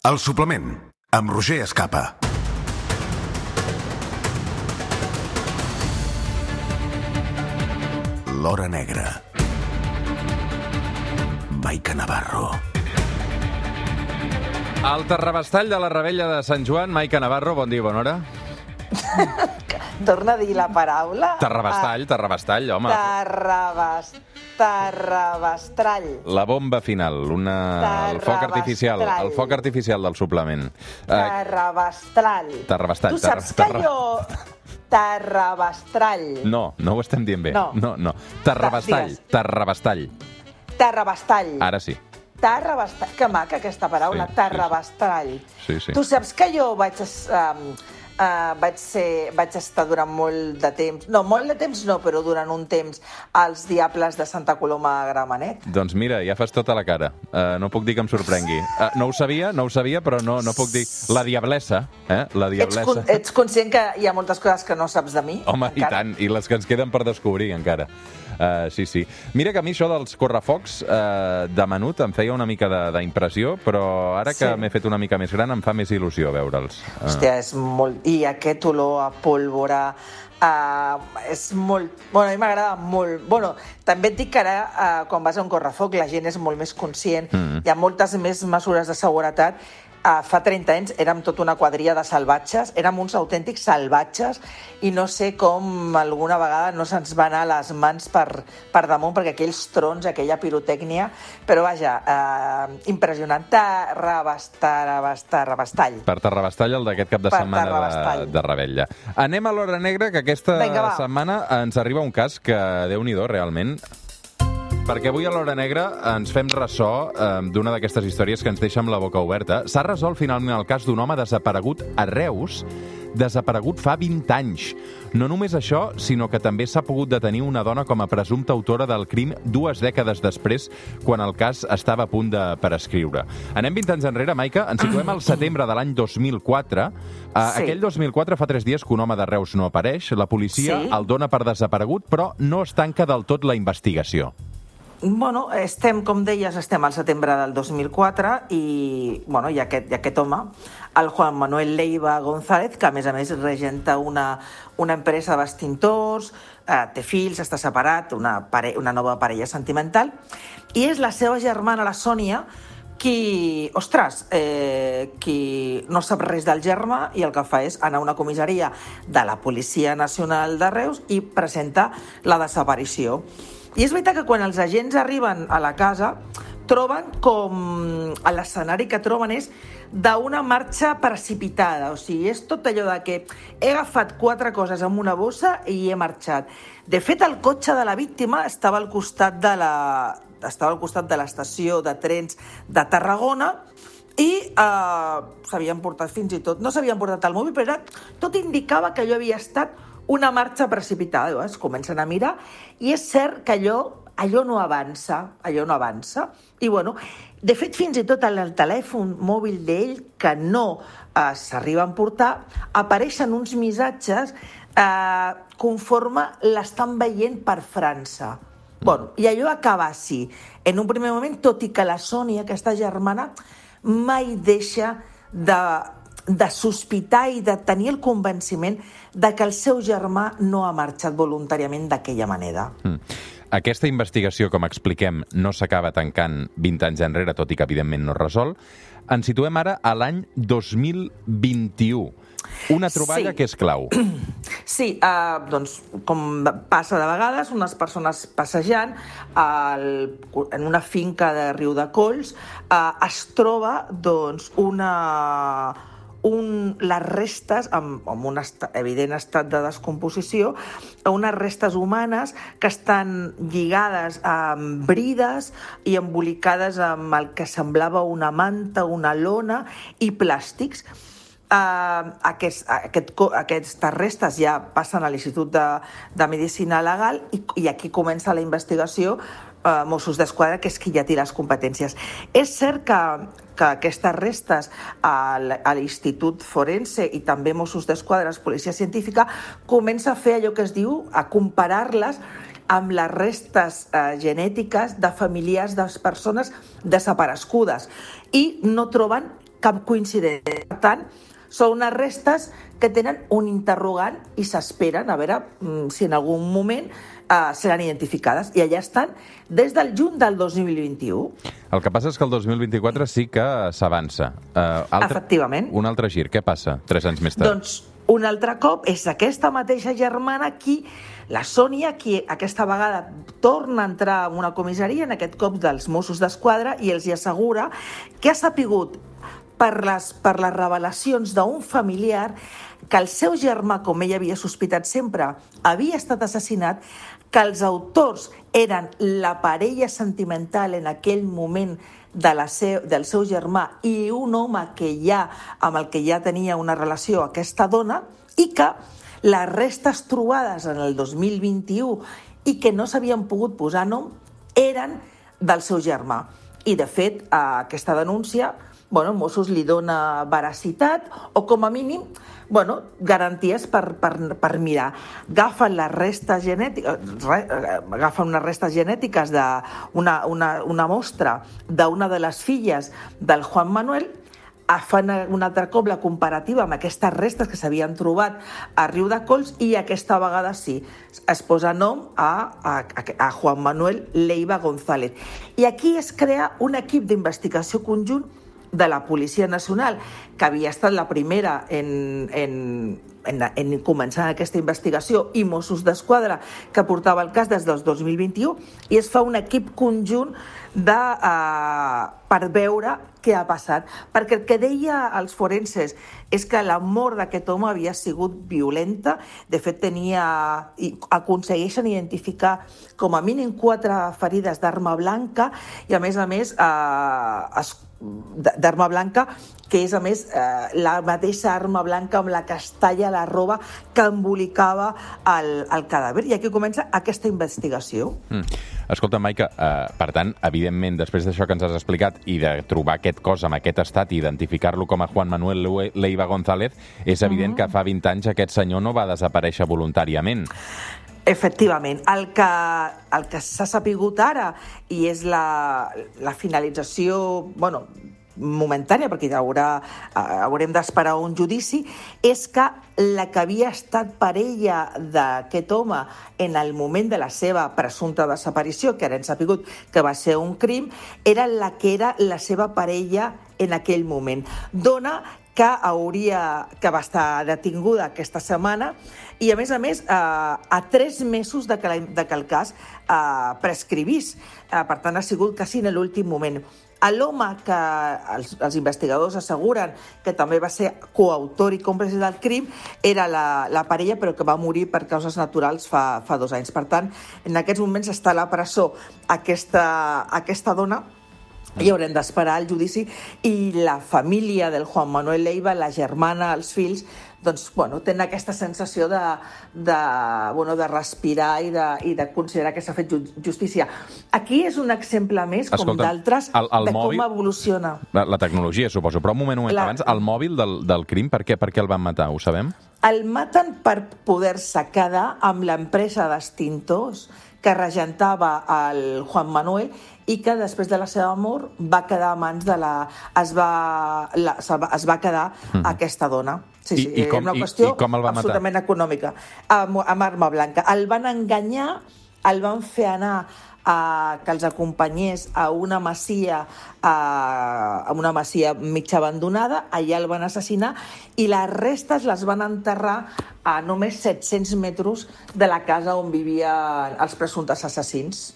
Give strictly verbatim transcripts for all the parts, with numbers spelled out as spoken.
El suplement, amb Roger Escapa. L'Hora Negra. Maica Navarro. El terrabastall de la Revetlla de Sant Joan, Maica Navarro, bon dia, bona hora. Torna a dir la paraula. Terrabastall, terrabastall, home. Terrabast... Terrabastrall. La bomba final, una... el foc artificial, el foc artificial del suplement. Terrabastrall. Terrabastall. Tu saps que terra... jo... Terrabastrall. No, no ho estem dient bé. No. No, no. Terrabastall, terrabastall. Terrabastall. Ara sí. Terrabastall. Que maca aquesta paraula, Sí, terrabastall. Sí, sí. Tu saps que jo vaig... Um, Uh, vaig, ser, vaig estar durant molt de temps, no, molt de temps no, però durant un temps als Diables de Santa Coloma a Gramenet. Doncs mira, ja fas tota la cara. Uh, no puc dir que em sorprengui. Uh, no ho sabia, no ho sabia, però no, no puc dir... La diablessa, eh? La diablessa. Ets, ets conscient que hi ha moltes coses que no saps de mi? Home, encara? I tant, i les que ens queden per descobrir, encara. Uh, sí, sí. Mira que a mi això dels correfocs uh, de menut em feia una mica d'impressió, però ara que sí. m'he fet una mica més gran em fa més il·lusió veure'ls. Uh. Hòstia, és molt... I aquest olor a pólvora... Uh, és molt... Bueno, a mi m'agrada molt... Bueno, també et dic que ara, uh, quan vas a un correfoc, la gent és molt més conscient. Mm. Hi ha moltes més mesures de seguretat. Uh, fa trenta anys érem tota una quadrilla de salvatges, érem uns autèntics salvatges i no sé com alguna vegada no se'ns va anar les mans per, per damunt perquè aquells trons, aquella pirotècnia, però vaja, uh, impressionant. Terrabastall. Per Terrabastall, el d'aquest cap de per setmana de, de Revetlla. Anem a l'Hora Negra, que aquesta Vinga, setmana ens arriba un cas que, Déu-n'hi-do, realment... Perquè avui a l'Hora Negra ens fem ressò eh, d'una d'aquestes històries que ens deixa amb la boca oberta. S'ha resolt finalment el cas d'un home desaparegut a Reus, desaparegut fa vint anys. No només això, sinó que també s'ha pogut detenir una dona com a presumpta autora del crim dues dècades després, quan el cas estava a punt de prescriure. Anem vint anys enrere, Maica, ens situem al setembre de l'any dos mil quatre. Uh, sí. Aquell dos mil quatre fa tres dies que un home de Reus no apareix. La policia sí. el dona per desaparegut, però no es tanca del tot la investigació. Bueno, estem, com deies, estem al setembre del dos mil quatre i, bueno, i, aquest, i aquest home, el Juan Manuel Leiva González, que a més a més regenta una, una empresa de vestintors, eh, té fills, està separat, una, pare, una nova parella sentimental, i és la seva germana, la Sònia, qui, ostres, eh, qui no sap res del germà i el que fa és anar a una comissaria de la Policia Nacional de Reus i presenta la desaparició. I és veritat que quan els agents arriben a la casa troben com... l'escenari que troben és d'una marxa precipitada. O sigui, és tot allò de que he agafat quatre coses amb una bossa i he marxat. De fet, el cotxe de la víctima estava al costat de la... estava al costat de l'estació de trens de Tarragona i eh, s'havien portat fins i tot... No s'havien portat el mòbil, però tot indicava que allò havia estat una marxa precipitada. Es comencen a mirar i és cert que allò, allò no avança, allò no avança. I bueno, de fet, fins i tot el telèfon mòbil d'ell, que no eh, s'arriba a emportar, apareixen uns missatges eh, conforme l'estan veient per França. Bueno, i allò acaba així. En un primer moment, tot i que la Sònia, aquesta germana, mai deixa de... de sospitar i de tenir el convenciment de que el seu germà no ha marxat voluntàriament d'aquella manera. Mm. Aquesta investigació, com expliquem, no s'acaba tancant vint anys enrere, tot i que evidentment no es resol. Ens situem ara a l'any dos mil vint-i-u. Una troballa sí. que és clau. Sí, eh, doncs, com passa de vegades, unes persones passejant al, en una finca de Riudecolls eh, es troba doncs, una... Un, les restes, amb, amb un est evident estat de descomposició, unes restes humanes que estan lligades amb brides i embolicades amb el que semblava una manta, una lona i plàstics. Uh, aquest, aquest, aquestes restes ja passen a l'Institut de, de Medicina Legal i, i aquí comença la investigació uh, Mossos d'Esquadra, que és qui ja té les competències. És cert que, que aquestes restes a l'Institut Forense i també Mossos d'Esquadra, Policia Científica, comença a fer allò que es diu, a comparar-les amb les restes eh, genètiques de familiars de les persones desaparegudes i no troben cap coincidència. Per tant, són unes restes que tenen un interrogant i s'esperen a veure si en algun moment eh, seran identificades. I allà estan des del juny del dos mil vint-i-u. El que passa és que el dos mil vint-i-quatre sí que s'avança. Uh, altre... Efectivament. Un altre gir. Què passa tres anys més tard? Doncs un altre cop és aquesta mateixa germana qui, la Sònia, qui aquesta vegada torna a entrar en una comissaria, en aquest cop dels Mossos d'Esquadra, i els hi assegura que ha sapigut per les, per les revelacions d'un familiar que el seu germà, com ell havia sospitat sempre, havia estat assassinat, que els autors eren la parella sentimental en aquell moment de la seu, del seu germà i un home que ja, amb el que ja tenia una relació, aquesta dona, i que les restes trobades en el dos mil vint-i-u i que no s'havien pogut posar nom eren del seu germà. I, de fet, a aquesta denúncia, bueno, Mossos li dona veracitat o, com a mínim, bueno, garanties per, per, per mirar. Agafen les restes genètiques, re, agafen unes restes genètiques d'una una, una mostra d'una de les filles del Juan Manuel, fan un altre cop la comparativa amb aquestes restes que s'havien trobat a Riudecols i aquesta vegada sí, es posa nom a, a, a Juan Manuel Leiva González. I aquí es crea un equip d'investigació conjunt de la Policia Nacional, que havia estat la primera en, en, en, en començar aquesta investigació, i Mossos d'Esquadra, que portava el cas des del dos mil vint-i-u, i es fa un equip conjunt de, uh, per veure què ha passat. Perquè el que deia els forenses és que la mort d'aquest home havia sigut violenta. De fet, tenia, i aconsegueixen identificar com a mínim quatre ferides d'arma blanca i, a més a més, uh, es d'arma blanca, que és, a més, eh, la mateixa arma blanca amb la que es talla la roba que embolicava el, el cadàver. I aquí comença aquesta investigació. Mm. Escolta, Maica, eh, per tant, evidentment, després d'això que ens has explicat i de trobar aquest cos en aquest estat i identificar-lo com a Juan Manuel Leiva González, és evident mm-hmm. que fa vint anys aquest senyor no va desaparèixer voluntàriament. Efectivament. El que, el que s'ha sapigut ara, i és la, la finalització, bueno, momentània, perquè haurà, haurem d'esperar un judici, és que la que havia estat parella d'aquest home en el moment de la seva presumpta desaparició, que ara hem sapigut que va ser un crim, era la que era la seva parella en aquell moment. Dona que hauria, que va estar detinguda aquesta setmana i, a més a més, eh, a tres mesos de que, la, de que el cas eh, prescrivís. Eh, per tant, ha sigut quasi en l'últim moment. L'home que els, els investigadors asseguren que també va ser coautor i còmplice del crim era la, la parella, però que va morir per causes naturals fa, fa dos anys. Per tant, en aquests moments està a la presó aquesta, aquesta dona, i haurem d'esperar el judici, i la família del Juan Manuel Leiva, la germana, els fills, doncs, bueno, tenen aquesta sensació de, de, bueno, de respirar i de, i de considerar que s'ha fet justícia. Aquí és un exemple més, com d'altres, de com evoluciona. La, la tecnologia, suposo, però un moment, un moment la... abans, el mòbil del, del crim, per què, per què el van matar, ho sabem? El maten per poder-se quedar amb l'empresa d'extintors que regentava el Juan Manuel i que després de la seva mort va quedar a mans de la... es va, la, es va quedar mm. aquesta dona. Sí, sí, I, i com, una qüestió i, i com el va absolutament matar? Econòmica, amb, amb arma blanca. El van enganyar, el van fer anar a que els acompanyés a una masia, a, a una masia mig abandonada, allà el van assassinar i les restes les van enterrar a només set-cents metres de la casa on vivien els presumptes assassins.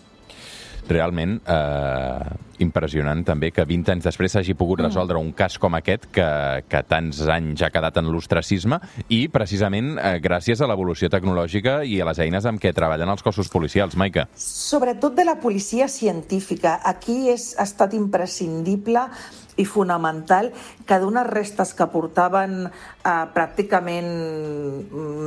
Realment eh, impressionant també que vint anys després s'hagi pogut resoldre un cas com aquest que, que tants anys ha quedat en l'ostracisme i precisament eh, gràcies a l'evolució tecnològica i a les eines amb què treballen els cossos policials, Maica. Sobretot de la policia científica. Aquí és, ha estat imprescindible i fonamental que d'unes restes que portaven eh, pràcticament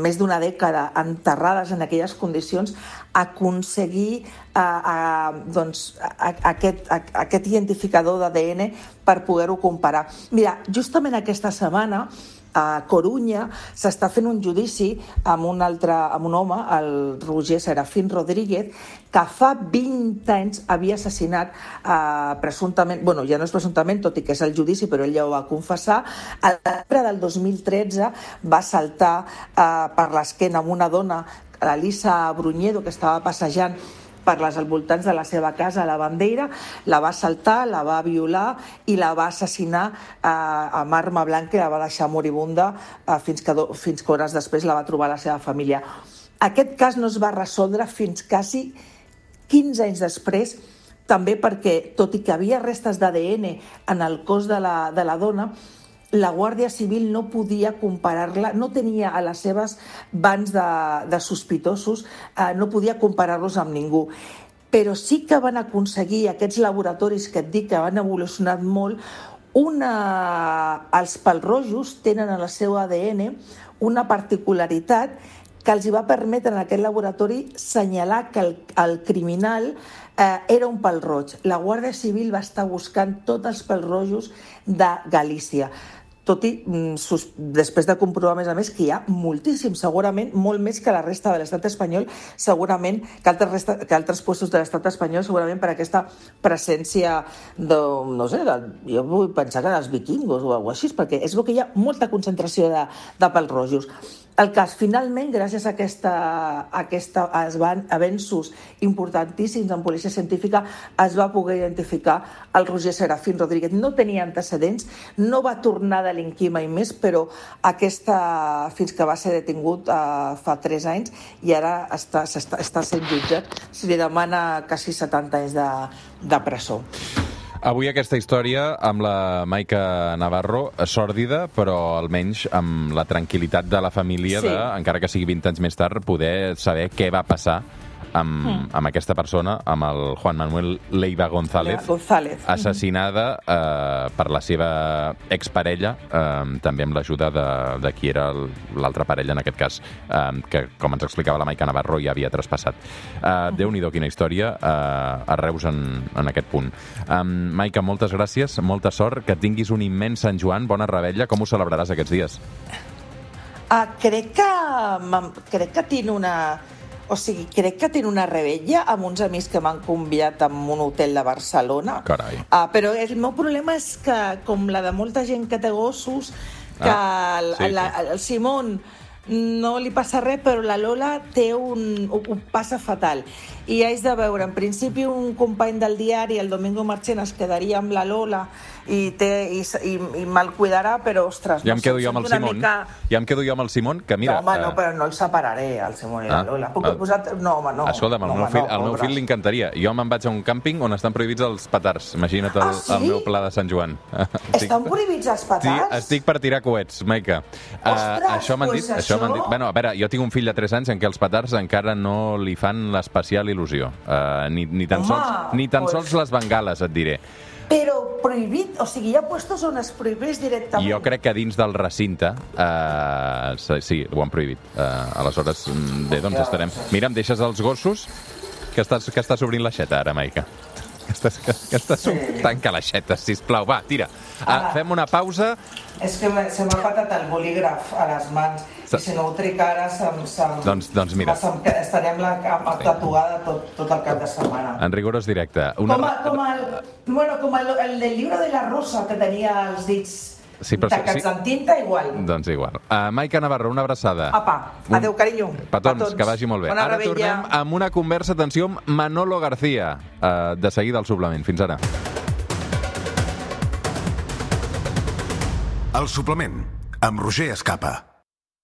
més d'una dècada enterrades en aquelles condicions, aconseguir eh, eh, doncs, a, a aquest, a, aquest identificador d'A D N per poder-ho comparar. Mira, justament aquesta setmana a Corunya s'està fent un judici amb un altre, amb un home, el Roger Serafín Rodríguez, que fa vint anys havia assassinat eh, presumptament, bueno, ja no és presumptament, tot i que és el judici, però ell ja ho va confessar. Al desembre del dos mil tretze va saltar eh, per l'esquena amb una dona, l'Elisa Bruñedo, que estava passejant per les voltants de la seva casa a la Bandeira, la va assaltar, la va violar i la va assassinar eh, amb arma blanca i la va deixar moribunda eh, fins, que do, fins que hores després la va trobar la seva família. Aquest cas no es va resoldre fins quasi quinze anys després, també perquè, tot i que havia restes d'A D N en el cos de la, de la dona, la Guàrdia Civil no podia comparar-la, no tenia a les seves bancs de, de sospitosos, eh, no podia comparar-los amb ningú. Però sí que van aconseguir aquests laboratoris que et dic que han evolucionat molt, una... els pelrojos tenen en el seu A D N una particularitat que els va permetre en aquest laboratori assenyalar que el, el criminal eh, era un pèl roig. La Guàrdia Civil va estar buscant tots els pèls rojos de Galícia. Tot i, sus, després de comprovar, a més a més, que hi ha moltíssim, segurament, molt més que la resta de l'estat espanyol, segurament que altres, resta, que altres puestos de l'estat espanyol, segurament per aquesta presència de, no sé, de, jo vull pensar que dels vikingos o alguna cosa així, perquè és bo que hi ha molta concentració de, de pèls rojos. El cas, finalment, gràcies a aquesta, a aquesta avenços importantíssims en policia científica, es va poder identificar el Roger Serafín Rodríguez. No tenia antecedents, no va tornar a delinquir mai més, però aquesta, fins que va ser detingut uh, fa tres anys i ara està, està, està sent jutjat, se li demana quasi setanta anys de, de presó. Avui aquesta història amb la Maica Navarro, sòrdida, però almenys amb la tranquil·litat de la família, sí. de, encara que sigui vint anys més tard, poder saber què va passar amb, mm. amb aquesta persona, amb el Juan Manuel Leiva González, González. assassinada eh, per la seva exparella, eh, també amb l'ajuda de, de qui era l'altra parella, en aquest cas, eh, que, com ens explicava la Maica Navarro, ja havia traspassat. Eh, Déu-n'hi-do, quina història, eh, a Reus en, en aquest punt. Eh, Maica, moltes gràcies, molta sort, que tinguis un immens Sant Joan, bona revetlla. Com ho celebraràs aquests dies? Uh, crec que crec que tinc una... O sigui, crec que tinc una revetlla amb uns amics que m'han convidat a un hotel de Barcelona. Carai. Uh, però el meu problema és que, com la de molta gent que té gossos, que ah, el, sí, la, el Simón no li passa res, però la Lola té un, ho, ho passa fatal. I haig de veure, en principi, un company del diari, el Domingo Marchena, es quedaria amb la Lola i, té, i, i, i me'l cuidarà, però, ostres... Ja em quedo jo amb el Simón. Mica... Ja em quedo jo amb el Simón, que mira... No, home, no, però no el separaré, el Simón i la ah, Lola. Puc ah, posar... No, home, no. Escolta'm, el no, meu home, fill, no, el meu fill li encantaria. Jo me'n vaig a un càmping on estan prohibits els petards. Imagina't el, ah, sí? el meu pla de Sant Joan. Estan prohibits els petards? Sí, estic per tirar coets, Maica. Ostres, uh, això m'han dit, pues això... dit. Bueno, a veure, jo tinc un fill de tres anys en què els petards encara no li fan l'especial il·lusió. Uh, ni, ni tan, Home, sols, ni tan pues... sols les bengales, et diré. Però prohibit, o sigui, hi ha puestos on es prohibeix directament. Jo crec que dins del recinte, eh, sí, ho han prohibit. Eh, aleshores, bé, doncs estarem... Mira, em deixes els gossos, que estàs, que estàs obrint l'aixeta ara, Maica. Que estàs, que, que estàs... Sí. Tanca l'aixeta, sisplau. Va, tira. Ah, fem una pausa. És que se m'ha patat el bolígraf a les mans. I si no ho trec ara, se'm, se'm, doncs, doncs mira. Se'm, estarem la cama tatuada tot, tot el cap de setmana. En rigorós directe. Una... Com, a, com, el, bueno, com el, el del llibre de la Rosa, que tenia els dits... Sí, però tacats sí. en tinta, igual. Doncs igual. Uh, Maica Navarro, una abraçada. Apa, adeu, carinyo. Petons, Petons. Que vagi molt bé. Bona ara rebella. Tornem amb una conversa, atenció, amb Manolo García, uh, de seguida al suplement. Fins ara. El suplement, amb Roger Escapa.